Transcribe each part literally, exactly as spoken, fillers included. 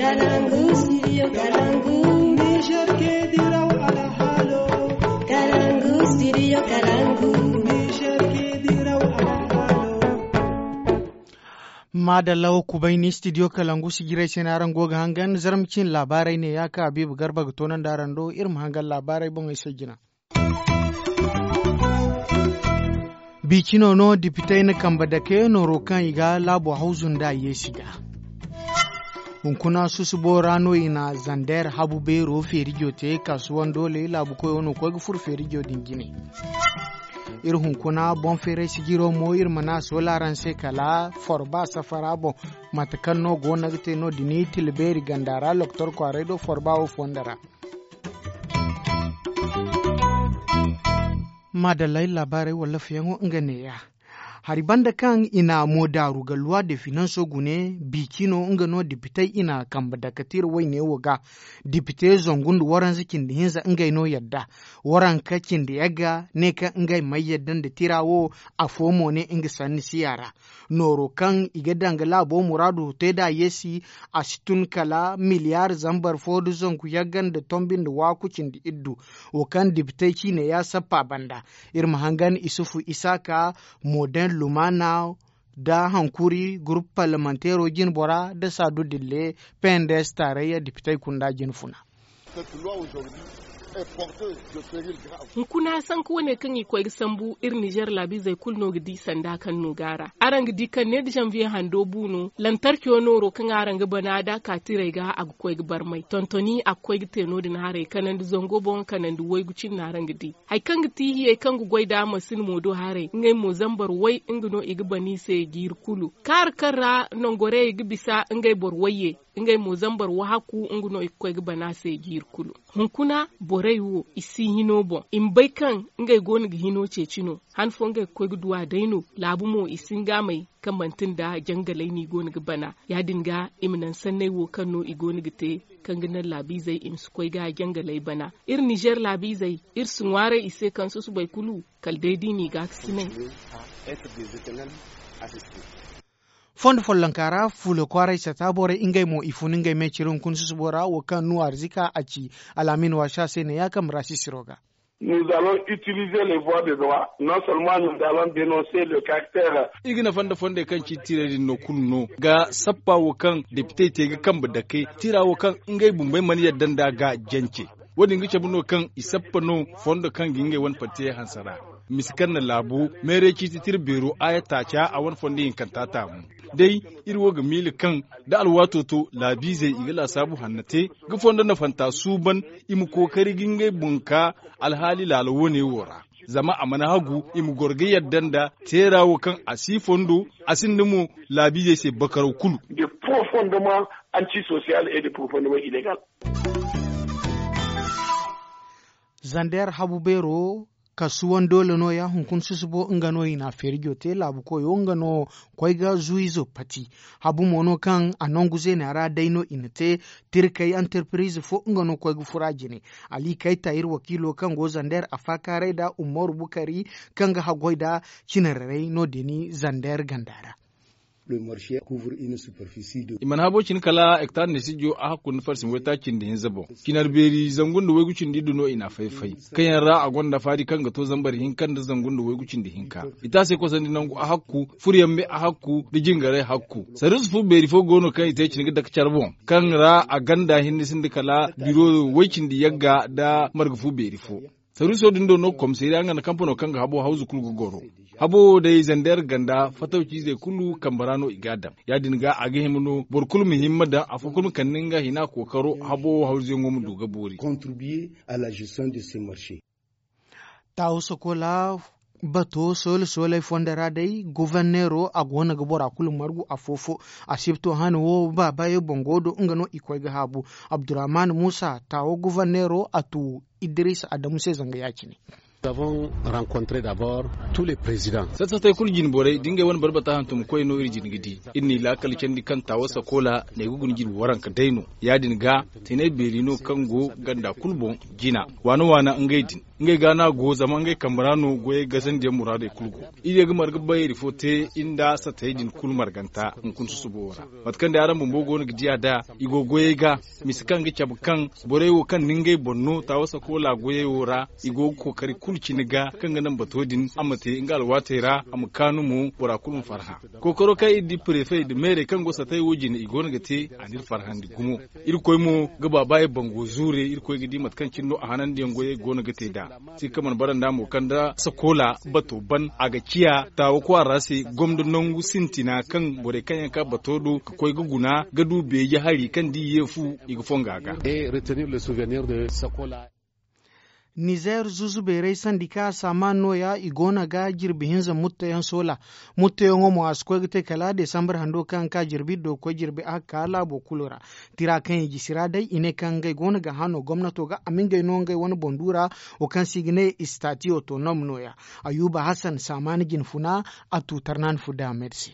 Kalangu, studio Kalangu. Niger ke diraw alhalo. Kalangu, studio Kalangu. Niger ke diraw alhalo. Maadalla wo kubay ni studio Kalangu sijirey se no araŋ go ga hangan zarma cin laabaarey ne ya ka Habiibu Garba ga toonandi araŋ do iri ma hangan laabaarey boŋey se jina. Biicino no dipitey na kambe dake nooro kaŋ i ga laabo hawzu nda yeesi ga. Hunkuna susubo ra no i na zander habu beero feerijo te kaasuwan doole laabu koyo no koy ga furo feerijo din jine. Iri hunkuna boŋ feeray sijiro mo iri mana a soola araŋ se kala forba safara boŋ mate kaŋ no go no ga te no- din i tila beeri ganda ra loktor kwaaray do forba wo fondo ra. Maadallay laabaarey walla fiyaŋo nga neeya. Hari banda kaŋ i na mo daaru ga luwa de finanso gune biicino nga no dipitey i na kambe dake tira wayne wo ga. Dipite zangu nda waranza cindi hinza ngey no yadda. Waranka cindi yagga ne kaŋ ngey may yadda nda tira wo. Afo mo ne nga sanni siya ra. Nooro kaŋ i ga danga laabo muraadu te da yeesi a si tun kala miliyar zambar fo da zangu yagga nda tombi nda waaku cindi iddu. Wo kaŋ dibitey ciine ya sappa banda. Iri ma hangan isufu isaaka moden lumana da hankuri gurupu parlamantero jinbora da saadu dille pnds taarayya dibitey kunda jinfuna. Hunkuna sanka wane kaŋ i koy ga sambu iri nizer laabiizey kulu no ga di sanda kaŋ no ga a ra. Araŋ ga di kaŋ ne da zanviye hando bu no lantarco nooro kaŋ araŋ ga bana da a ka tirey ga a ga koy ga barmay tontoni a ga koy ga te no- din haray kanandi zango boŋ kanandi waygu cindi no araŋ ga di. Hari kaŋ ga ti hiyey kaŋ ga goy nd'a masin mo do haray ngey mo zambar way nga no i ga bana i se jiiri kulu kaara kaŋ ra nangorayey ga bisa ngey boro wayye. Ngey mo zambar wahakku nga no i ga koy ga bana se jiiri kulu. Hunkuna borey wo i si hino boŋ i ma bay kaŋ ngey go no ga hino ceeci no. Han fo ngey ga koy ga duw'a day no laabu mo i si nga may kaŋ manti nda jangalay no i go no ga bana. Ya- din ga i ma naŋ sanney wo kaŋ no i go no ga te kaŋ ga naŋ laabiizey i ma si koy ga jangaley bana. Iri nizer laabiizey iri si ŋwaaray i se kaŋ susubay kulu kala day da i n'i gaakasinay. Fondo follonka ra fuula kwaaray sata borey ngey mo i fun ngey me ciri hunkuna susubo ra wo kaŋ nuwa arzika a ci alaamin waasa se ne ya kambe ra sisiro ga. Nous allons utiliser les voies de droit non seulement nous allons dénoncer le caractère. Iri ga nafa nda fondey kaŋ ci tiirey din no kulu no ga sappa wo kaŋ depitey te ga kambe dake tiira wo kaŋ ngey bumbey mana yadda nd'a ga jance. Wo- din ga cabe no kaŋ i sappa no fondo kaŋ ga ngey wane parti yaŋ hanse ra. Misi kaŋ na laabu meeray ciiti tira beero a ya taaca a wane fondo hinkanta taamu. Day iri wo ga miila kaŋ da alwaato to laabiizey i ga laasaabu hanna te ga fondo nafanta suuban i ma kookari ga ngey boŋ ka alhaali laala wo- ne wo ra. Zama a mana hagu i ma goro ga yadda nda teera wo kaŋ a si fondo a sinda mo laabiizey se bakaraw kulu. De profondement anti social et de profondement illegal. Zander habu beero kasuwan doole no ya hunkuna susubo nga no i na a feerijo te laabu koyo nga no koy ga zuwizo pati. Habu mo no kaŋ a nangu zeena ra day no i na te tirkey antarpirize fo nga no koy ga fura jine. Ali kayta iri wakiilo kaŋ go zander a faakaaray nda umaru bukari kaŋ ga haggoy nda cinararay no- din zander ganda ra. I mana habo cine kala hektar nda sijo a hakku nda farsin waytaaci nda hinza boŋ. Cinar beeri zangu nda waygu cindi iddu no i n'a fay-fay kaŋ yaŋ ra a gonda faari kaŋ ga to zambar hinka nda zangu nda waygu cindi hinka. I te a se kosandi nangu a hakku furyaŋ me a hakku nda jingaray hakku. Sarrisu fu beeri fo go no kaŋ i te cine ga dake care boŋ kaŋ ra a ganda hinne sinda kala biro way cindi yagga nda marga fu beeri fo. Saruuso din do no komisariya nga nda kampano kaŋ ga habo hawzu kulu ga goro. Habo wo day zander ganda fatawciizey kulu kambe ra no i g'a daŋ. Ya- din ga a ga hima no boro kulu ma hima ma daŋ afo kulu ma kande nga hina kookaro habo wo hawzuyaŋo ma du ga boori. Taawo sokola bato soole sooley fondo ra day goforneero a go no ga bora kulu margu afo-fo. Asibto hane wo baabayo boŋ go do nga no i koy ga haabu. Abdurrahman muusa taawo goforneero a tu idris adamu se zanga ya- cine. Satta sattey kulu jine borey da ngey wane barbata hantumkoy no iri jine ga di. Iri n'i laakal candi kaŋ taawo sakola na ay ga guna jine waranka day no. Ya- din ga tinay beeri no kaŋ go ganda kulu boŋ jina waana waana ngey din. ngey ga no a go zama ngey kambe ra no goyey gasandiyaŋ muraadey kulu go. Iri ye ga marga bayri fo te iri nda satayey din kulu marganta hunkuna susubo wo ra. Mate kaŋ day araŋ bumbo go no ga di a da i go goyey ga, misa kaŋ ga cabe kaŋ borey wo kaŋ na ngey boŋ no taawa sakoola goyey wo ra, i go ga kookari kulu cine ga kaŋ ga naŋ bato din a ma te nga alwaatey ra, a ma kaanu mo bora kulu ma farhã. Kookaro kaŋ iri di prefe nda meerey kaŋ go satayey wo jine i go no ga te, a n'iri farhandi gumo. Irkoy mo ga baaba ye bango zuure. Irkoy ga di mate kaŋ cine no a hanandiyaŋ goyey go no ga te nd'a. Sika mana bara nd'a mo kaŋ nda sakoola bato ban a ga ciya taawa kwaara se gomdo nangu sintina kaŋ borey kaŋ yaŋ ka bato do ga koy ga guna ga du beeji hari kaŋ da i ye fu i ga fonga ga. Nizer zuzu beeray sandika saamaan nooya i go no ga jirbi hinza mutteyaŋ soola. Mutteyaŋo mo a si koy ga te kala desambar hando kaŋ ka jirbi do ga koy jirbi a ga ka laabo kulu ra. Tira kaŋ i jisi ra day i ne kaŋ ngey go no ga hã no gomnato ga a ma ngey no ngey wane boŋ du ra. Wo kaŋ se i ga ne istati otonom nooya. Ayuba hasan saamaan jinfuna a tu tarnaani fu damed se.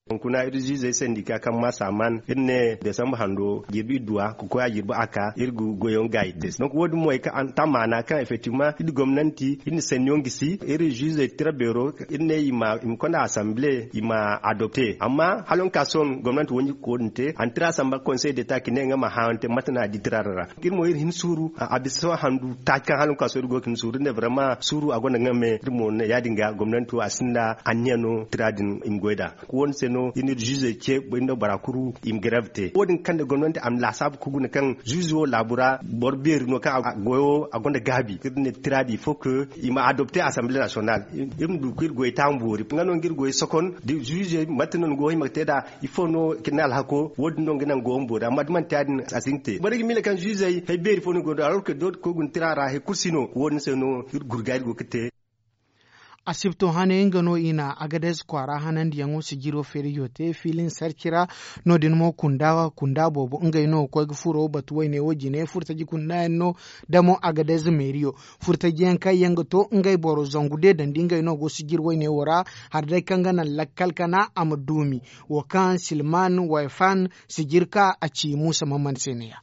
Hunkuna iri ziizey sandika kaŋ maa saamaan iri ne desamba hando jirbi idduwa ga koy a jirbi a ka iri ga goyyaŋ gaayi te se donk wo- din mo ay kaŋ a tamaana kaŋ effectivement iri gomnanti iri na sanniyaŋ gisi iri ziizey tira beero iri ne i ma konda asamble i ma adopte amma hala nga ka sohõ gomnanti wanji ga koy din te a na tira samba konsey deta ka ne nga ma hã nga te mate no a di tira din ra. Iri mo iri hin suuru a bisa sohõ handu taaci kaŋ hala nga ka sohõ iri go ga hin suuru iri ne brama suuru a gonda nga me iri mo ne ya- din ga gomnanti wo a sinda anniya no tira din i ma goy nd'a. Wo- din se no iri na iri ziizey ce iri nda bora kulu i ma grève te wo- din kaŋ nda gomnanti a ma laasaabu ka guna kaŋ ziizo laabo ra boro beeri no kaŋ a goyo a gonda gaabi iri ne tira din il faut que i ma adopte assemblée nationale. Iri ma du ka iri goy taamu boori nga no nga iri goy sokon da ziizey mate no ni go hima ga te nd'a. Ifo no ga ne alhako wo- din no ga naŋ go ma boori amma da manti ya- din a si hin ga te boro ga miila kaŋ ziizey hari beeri fo no go nd'a alors que dooti koy guna tira ra hari kulu si no wo- din se no iri gurga iri go ga te. Asibto hane nga no i na agadez kwaara hanandiyaŋo sijiro feerijo te filin sarci ra. No- din mo kunda kunda boobo ngey no ga koy ga furo batu wayne wo jine furtaji kunda yaŋ no damo agadez meeriyo. Furtaji yaŋ kaŋ yaŋ ga to ngey boro zangu de dandi ngey no go sijiri wayne wo ra. Hari day kaŋ ga naŋ lakkal kana a ma duumi wo kaŋ silman wayfan sijiri ka a ci muusa mamman se ne- ya.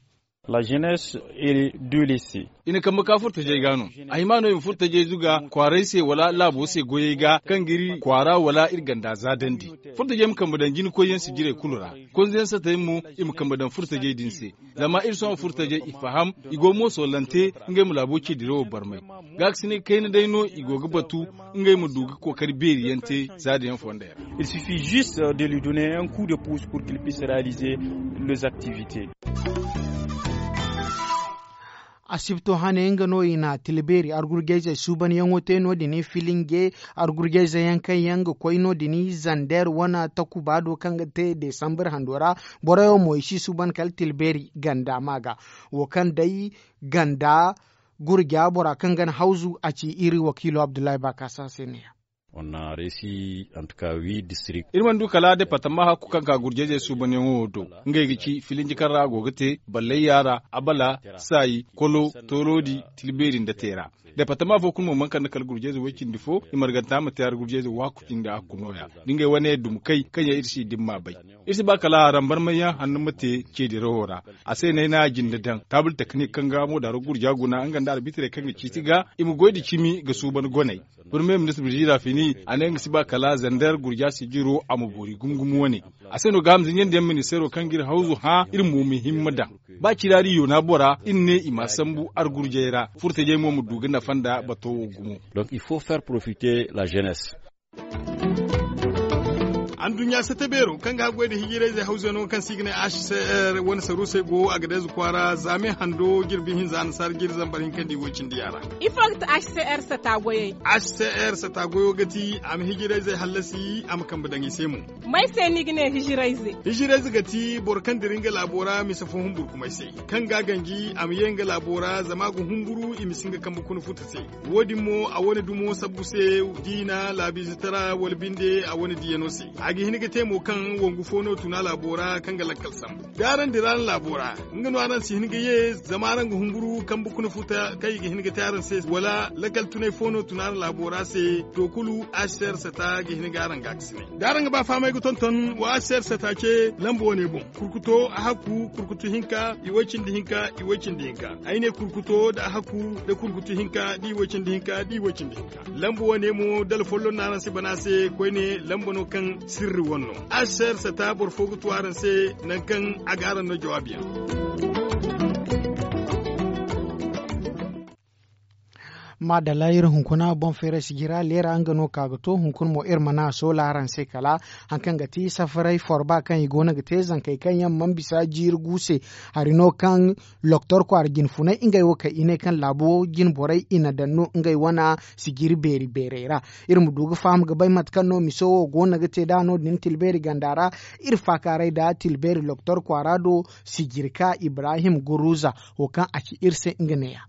La jeunesse et de lycée. I na kambe ka furtajey ga no. A hima no i ma furtajey zuga kwaarey se wala laabo se goyey ga kaŋ ga iri kwaara wala iri ganda zaadandi. Furtajey ma kambe daŋ jinikoyyaŋ sijirey kulu ra. Konzeyaŋ satey mo i ma kambe daŋ furtajey din se. Zama iri sohõ furtajey i faham i go moosolante ngey ma laabo ce dirawo barmay. Gaakasinay kayna day no i go ga batu ngey ma du ga kookari beeri yaŋ te zaada yaŋ fondey ra. Il suffit juste de lui donner un coup de pouce pour qu'il puisse réaliser les activités. Asibto hane nga no i na tilbeeri argurjayzey suubanyaŋo te no- din filinge argurjayzey yaŋ kaŋ yaŋ ga koy no- din zander wane takuba do kaŋ ga te desambar hando ra. Boroyaŋ mo i si suuban kala tilbeeri ganda ma ga wo kaŋ day ganda gurja bora kaŋ ga na hawzu a ci iri wakiilo abdullahi bakasa se ne- ya. Iri mana du kala departama hakku kaŋ ka gurjayzey suubanyaŋo wo do. Ngey ga ci filinji kaŋ ra a go ga te ballayya ra, abala, saayi, kolo, toorodi, tilbeeri nda teera. Departama fo kulu mo mana kande kala gurjayze way cindi fo i marganta ma te hari gurjayze waaku cindi hakku nooya. Da ngey wane duma kay kaŋ yaŋ iri si dimma bay. Iri si ba kala harambarmayyaŋ hanno ma te ceedirawo ra. A se no ay na a jinde daŋ taabul teknik kaŋ ga mo daaro gurja guna nga nda arbitrey kaŋ ga ciiti ga i ma goy nda cimi ga suuban goney. Premier ministre birjira fini a ne nga si ba kala zander gurja sijiro a ma boori gumo gumo wane. A se no ga a ma zinjandi yaŋ ministeero kaŋ ga iri hawzu hã iri mo ma himma daŋ. Ba ciraari yoona bora iri ne i ma a sambu argurjey ra furtajey mo ma du ga nafa nda bato wo gumo. Donc il faut faire profiter la jeunesse. Anduɲɲa sata beero kaŋ ga haggoy nda hijirayzey hawzano kaŋ se i ga ne h c r wane saruusey go agadez kwaara zaame hando jirbi hinza annasaara jiri zambar hinka nda i woy cindi yaara. Ifo ga ti h c r sata goyey? H c r sata goyo ga ti a ma hijirayzey hallasi a ma kambe daŋ i se mo. May se no i ga ne hijirayze? Hijirayze ga ti boro kaŋ dira nga laabo ra mise fo humburkumay se, kaŋ ga a ganji a ma ye nga laabo ra zama a ga humburu i ma si nga kambe kuna futa se. Wo- din mo a wane dumo sabbu se, diina laabiizatara wala binde a wane diiyano se. I ga hin ga te mo kaŋ wangu fo no tuna laabo ra kaŋ ga lakkal sambu da araŋ dira araŋ laabo ra. Nga no araŋ si hin ga ye zama araŋ ga humburu kambe kuna futa kaŋ i ga hin ga te araŋ se wala lakkal tunay fo no tuna araŋ laabo ra se. To kulu, hcr sata ga hin ga araŋ gaakasinay da araŋ ga ba fahamay ga tonton wa hcr sata ce lamba wane boŋ. Kurkuto a hakku kurkutu hinka i way cindi hinka i way cindi hinka. Ay ne kurkuto nda a hakku nda kurkutu hinka da i way cindi hinka da i way cindi hinka. Lamba wane mo dala folloŋ no araŋ si bana se koyne lamba no kaŋ sirri wane no. Hcr sata boro fo ga tu araŋ se nangu kaŋ a ga araŋ no jawaabi yaŋ. Maadalla iri hunkuna boŋ feeray sijira leera nga no ka ga to hunkuna mo iri mana soola araŋ se kala haŋ kaŋ ga ti safaray forba kaŋ i go no ga te zankey kaŋ yaŋ mana bisa jiiri gu se. Hari no kaŋ loktor kwaara jinfunay ngey wo kaŋ i ne kaŋ laabo jinborey i na daŋ no ngey wane sijiri beeri beerey ra. Iri ma du ga faham ga bay mate kaŋ no miso wo go no ga te da no- din tilbeeri ganda ra. Iri faakaaray nda tilbeeri loktor kwaara do sijirka ibrahim guruza wo kaŋ a ci iri se nga neeya.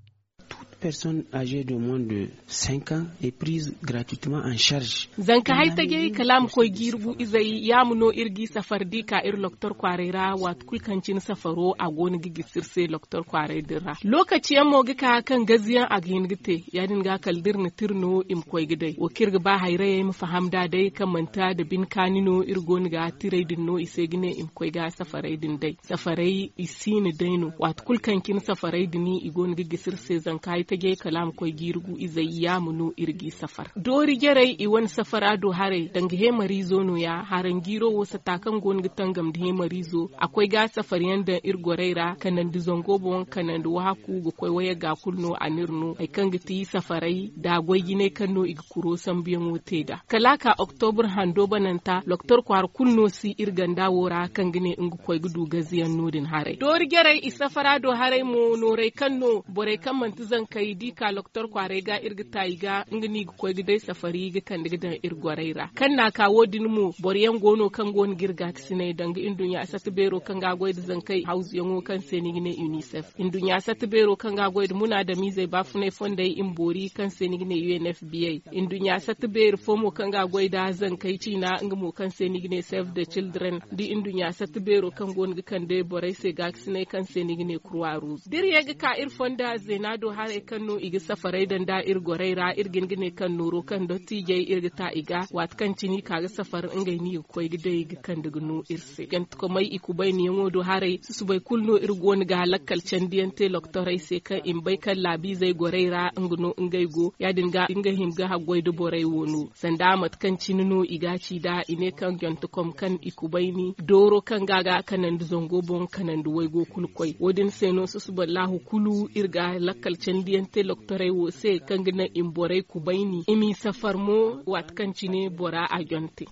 Toute personne âgée de moins de cinq ans est prise gratuitement en charge. Zanka hay tajay kala a ma koy jiiri gu izey yaama no iri g'i safar da i ka iri loktor kwaaray ra waati kulu kaŋ cine safaro a go no ga gisi iri se loktor kwaaray din ra. Lookaci yaŋ mo ga ka kaŋ gaziyaŋ a ga hin ga te ya- din ga kala da iri na tira no i ma koy ga day wo kaŋ iri ga ba hayrayey ma faham nd'a day kaŋ manti nda bine kaani no iri go no ga tiray din no i se ga ne i ma koy ga safaray din day. Safaray i si na day no waati kulu kaŋ cine safaray din i go no ga gisi iri se zanka ay tajay kala a ma koy jiiri gu izey yaama no iri g'i safar doori jarey i wane safara do haray danga heemariizo no- ya haranjiiro wo sata kaŋ go no ga tangam nda heemariizo a koy ga safar yaŋ daŋ iri gorey ra kanandi zango boŋ kanandi wahakku ga koy wayagga kulu no a n'iri no hari kaŋ ga ti safaray nda goy jinay kaŋ no i ga kuro sambuyaŋo te nd'a kala a ka oktobur hando bananta loktor kwaara kulu no si iri ganda wo ra kaŋ ga ne nga koy ga du gaziyaŋ no- din haray doori jarey i safara do haray mo nooray kaŋ no borey kaŋ manti zankey da i ka loktor kwaaray ga iri ga ta i ga nga no i ga koy ga day safari ga kande ga daŋ iri gorey ra kaŋ n'a ka wo- din mo boro yaŋ go no kaŋ go no ga iri gaakasinay danga nduɲɲa sata beero kaŋ ga a goy nda zankey hawzuyaŋo kaŋ se ni ga ne unicef nduɲɲa sata beero kaŋ ga a goy nda munaadamiizey baafunay fondey i ma boori kaŋ se ni ga ne unfba nduɲɲa sata beeri fo mo kaŋ ga a goy nda zankey ciina nga mo kaŋ se ni ga ne save the children da nduɲɲa sata beero kaŋ go no ga kande borey se gaakasinay kaŋ se ni ga ne kurwa ruuz da iri ye ga ka iri fonda zeena do haray kaŋ no i ga safaray daŋ nd'a iri gorey ra iri ga hin ga ne kaŋ nooro kaŋ dottiijey iri ga ta i ga waati kaŋ cine i ka ga safar ngey no i ga koy ga day ga kande ga no iri se jantekomey i kubayniyaŋo do haray susubay kulu no iri go no ga lakkal candiyaŋ te loktorey se kaŋ i ma bay kaŋ laabiizey gorey ra nga no ngey go ya- din ga nga hima ga haggoy nda borey wo no sanda mate kaŋ cine no i ga a ci nd'a i ne kaŋ jantekom kaŋ i kubayni dooro kaŋ ga a ga kanandi zango boŋ kanandi waygo kulu koy wo- din se no susubay laahu kulu iri ga lakkal candiyaŋ te loktorey wo se kaŋ ga naŋ i ma borey kubayni i m'i safar mo waati kaŋ cine bora a jante.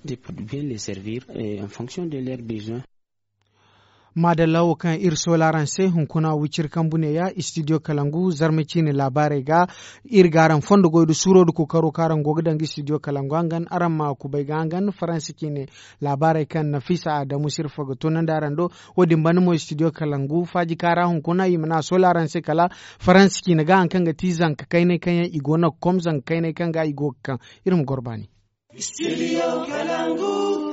Bien les servir en fonction de leur besoin. Maadalla wo kaŋ iri soola araŋ se hunkuna wiciri kambu neeya studio kalangu zarma ciine laabaarey ga iri ga araŋ fondo goy nda suuro nda kookaro kaŋ araŋ go ga daŋ ga studio kalangu hangan araŋ ma kubay ga hangan faransa ciine laabaarey kaŋ nafisa adamu sirfa ga tunandi araŋ do. Wo- din banda mo studio kalangu faaji kaara hunkuna i mana a soola araŋ se kala faransa ciine ga hari kaŋ ga ti zanka kaynay kaŋ yaŋ i go no ga kom zanka kaynay kaŋ ga i go ga kaŋ iri ma goro baani.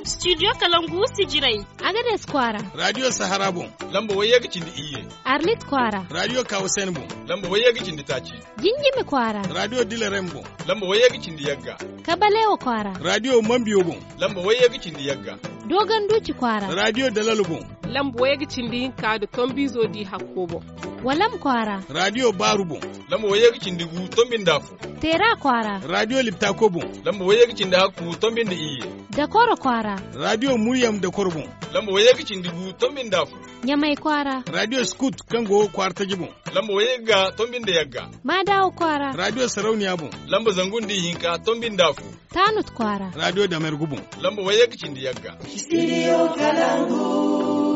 Studio kalangu sijirey. Agades kwaara. Radio sahara boŋ. Lamba wayye ga cindi iyye. Arlit kwaara. Radio kawasen boŋ. Lamba wayye ga cindi taaci. Jinjimi kwaara. Radio dilarem boŋ. Lamba wayye ga cindi yagga. Kabalewa kwaara. Radio mambiyo boŋ. Lamba wayye ga cindi yagga. Dogon duci kwaara. Radio dalal boŋ. Lamba wayye ga cindi hinka da tombizo di hakko boŋ. Walam kwaara. Radio baaru boŋ. Lamba wayye ga cindi gu tombi nda afo. Teera kwaara. Radio liptako boŋ. Lamba wayye ga cindi hakku tombi nda iyye. Dakoro kwaara. Radio muryam dakoro boŋ. Lamba wayye ga cindi gu tombi nda afo. Ɲamay kwaara. Radio skut kaŋ go kwaara taji boŋ. Lamba wayye ga tombi nda yagga. Maadawa kwaara. Radio sarauniya boŋ. Lamba zangu nda ihinka tombi nda afo. Taanut kwaara. Radio damergu boŋ. Lamba wayye ga cindi yagga. Studio kalangu.